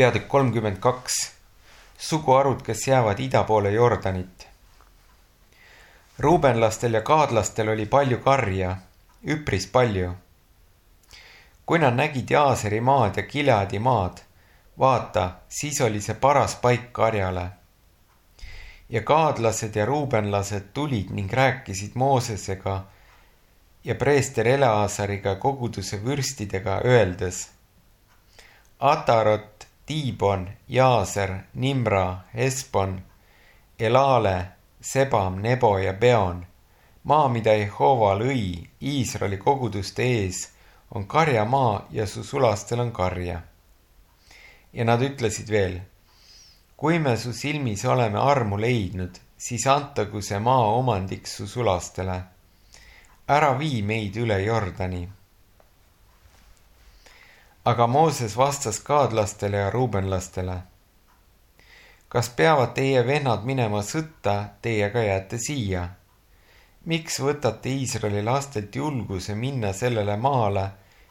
Peatükk 32. Suguharud, kes jäävad ida poole Jordanit. Ruubenlastel ja gaadlastel oli palju karja, üpris palju. Kui nad nägid Jaaseri maad ja Gileadi maad, vaata, siis oli see paras paik karjale. Ja gaadlased ja ruubenlased tulid ning rääkisid Moosesega ja preester Eleazariga koguduse vürstidega, öeldes: Atarot, Tiibon, Jaaser, Nimra, Hesbon, Elale, Sebam, Nebo ja Beon, maa, mida Jehova lõi Iisraeli koguduste ees, on karjamaa ja su sulastel on karja. Ja nad ütlesid veel: kui me su silmis oleme armu leidnud, siis antagu see maa omandiks su sulastele. Ära vii meid üle Jordani. Aga Mooses vastas gaadlastele ja ruubenlastele: kas peavad teie vennad minema sõtta, teiega jääte siia? Miks võtate Iisraeli lastelt julguse minna sellele maale,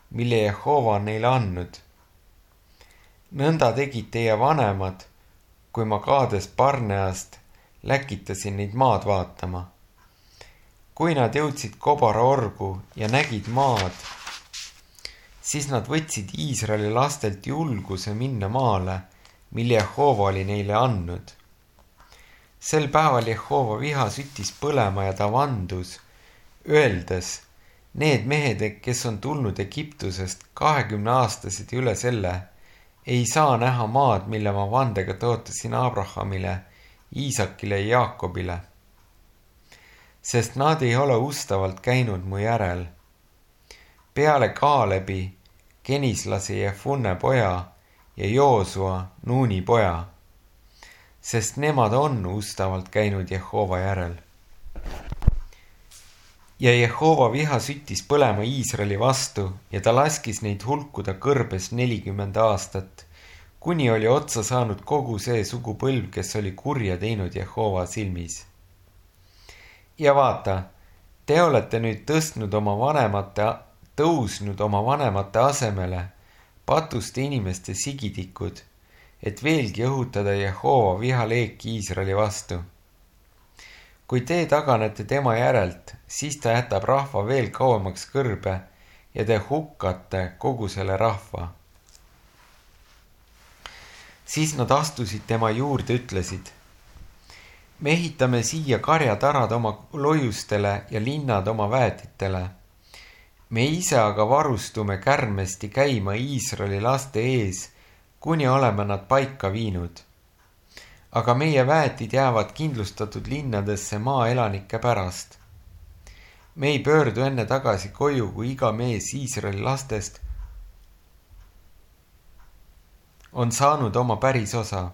mille Jehova on neile andnud? Nõnda tegid teie vanemad, kui ma Kaades Barneast läkitasin neid maad vaatama. Kui nad jõudsid Kobara orgu ja nägid maad, siis nad võtsid Iisraeli lastelt julguse minna maale, mille Jehova oli neile andnud. Sel päeval Jehova viha süttis põlema ja ta vandus, öeldes: need mehed, kes on tulnud Egiptusest 20-aastased üle selle, ei saa näha maad, mille ma vandega tõotasin Abrahamile, Iisakile ja Jaakobile. Sest nad ei ole ustavalt käinud mu järel. Peale Kaalebi, Kenislase Jefunne poja ja Joosua, Nuuni poja, sest nemad on ustavalt käinud Jehova järel. Ja Jehova viha süttis põlema Iisraeli vastu ja ta laskis neid hulkuda kõrbes 40 aastat, kuni oli otsa saanud kogu see sugupõlv, kes oli kurja teinud Jehova silmis. Ja vaata, te olete nüüd tõusnud oma vanemate asemele patuste inimeste sigitikud, et veelgi õhutada Jehova vihaleeki Iisraeli vastu. Kui te taganete tema järelt, siis ta jätab rahva veel kauemaks kõrbe ja te hukkate kogu selle rahva. Siis nad astusid tema juurde, ütlesid: me ehitame siia karjatarad oma lojustele ja linnad oma väetitele. Me ise aga varustume kärmesti käima Iisraeli laste ees, kuni oleme nad paika viinud. Aga meie väetid jäävad kindlustatud linnadesse maaelanike pärast. Me ei pöördu enne tagasi koju, kui iga mees Iisraeli lastest on saanud oma päris osa.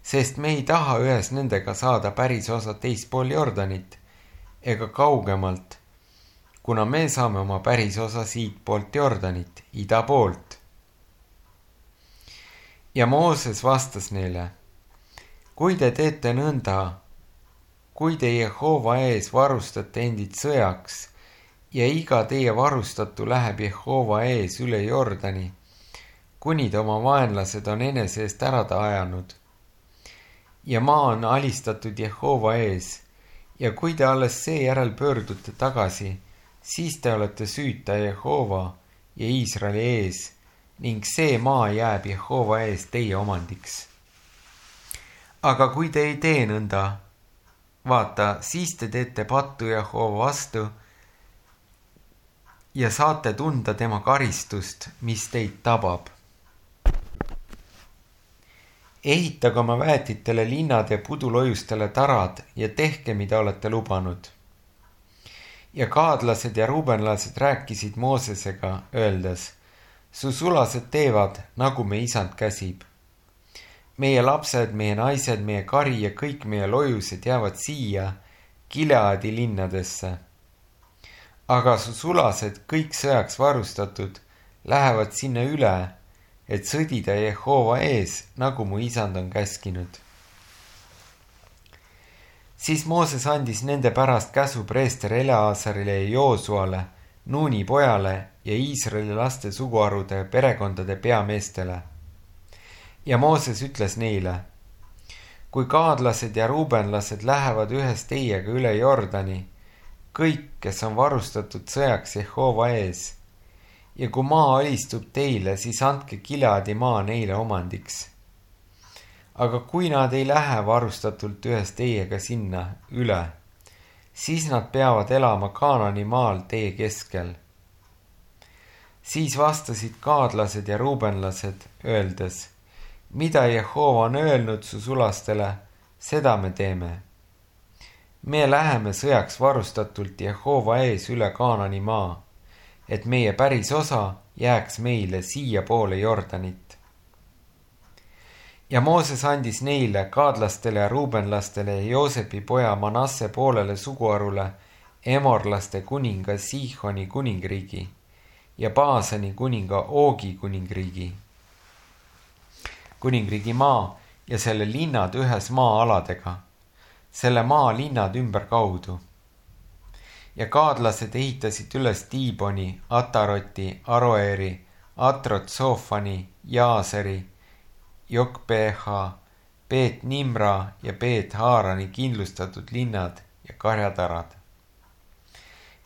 Sest me ei taha ühes nendega saada päris osa teispool Jordanit ega kaugemalt, kuna me saame oma päris osa siit poolt Jordanit, ida poolt. Ja Mooses vastas neile: kui te teete nõnda, kui te Jehova ees varustate endid sõjaks ja iga teie varustatu läheb Jehova ees üle Jordani, kuni te oma vaenlased on enese eest ära ajanud, ja maa on alistatud Jehova ees, ja kui te alles seejärel pöördute tagasi, siis te olete süüta Jehova ja Iisraeli ees, ning see maa jääb Jehova ees teie omandiks. Aga kui te ei tee nõnda, vaata, siis te teete pattu Jehova vastu ja saate tunda tema karistust, mis teid tabab. Ehitage oma väetitele linnad ja pudulojustele tarad ja tehke, mida olete lubanud. Ja gaadlased ja ruubenlased rääkisid Moosesega, öeldes: su sulased teevad, nagu me isand käsib. Meie lapsed, meie naised, meie kari ja kõik meie lojused jäävad siia Gileadi linnadesse. Aga su sulased, kõik sõjaks varustatud, lähevad sinna üle, et sõdida Jehova ees, nagu mu isand on käskinud. Siis Mooses andis nende pärast käsu preester Eleazarile ja Joosuale, Nuuni pojale ja Iisraeli laste suguharude perekondade peameestele. Ja Mooses ütles neile: kui gaadlased ja ruubenlased lähevad ühes teiega üle Jordani, kõik, kes on varustatud sõjaks Jehova ees, ja kui maa alistub teile, siis andke Gileadi maa neile omandiks. Aga kui nad ei lähe varustatult ühes teiega sinna üle, siis nad peavad elama Kaanani maal tee keskel. Siis vastasid gaadlased ja ruubenlased, öeldes: mida Jehova on öelnud su sulastele, seda me teeme. Me läheme sõjaks varustatult Jehova ees üle Kaanani maa, et meie päris osa jääks meile siia poole Jordanit. Ja Mooses andis neile, gaadlastele ja ruubenlastele ja Joosepi poja Manasse poolele suguharule Emorlaste kuninga Siihoni kuningriigi ja Baasani kuninga Oogi kuningriigi maa ja selle linnad ühes maa-aladega, selle maa linnad ümberkaudu. Ja gaadlased ehitasid üles Tiiboni, Ataroti, Aroeri, Atrot-Soofani, Jaaseri, Jokbeha, Beet-Nimra ja Beet-Haarani kindlustatud linnad ja karjatarad.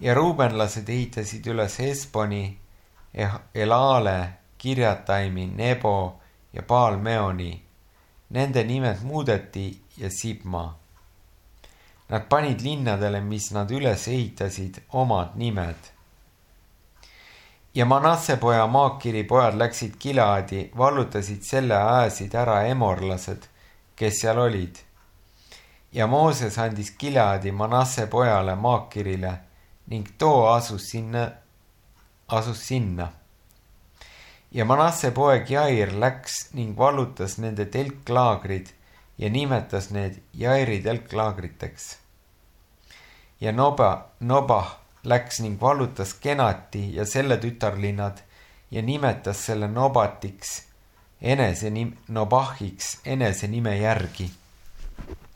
Ja ruubenlased ehitasid üles Hesboni, Elale, Kirjataimi, Nebo ja Baal-Meoni. Nende nimed muudeti ja Sibma. Nad panid linnadele, mis nad üles ehitasid, omad nimed. Ja Manasse poja Maakiri pojad läksid Gileadi, vallutasid selle ajasid ära emorlased, kes seal olid. Ja Mooses andis Gileadi Manasse pojale Maakirile ning too asus sinna. Ja Manasse poeg Jair läks ning vallutas nende telklaagrid ja nimetas need Jairi telklaagriteks. Ja Nobah läks ning vallutas Kenati ja selle tütarlinnad ja nimetas selle Nobatiks, Nobahiks enese nime järgi.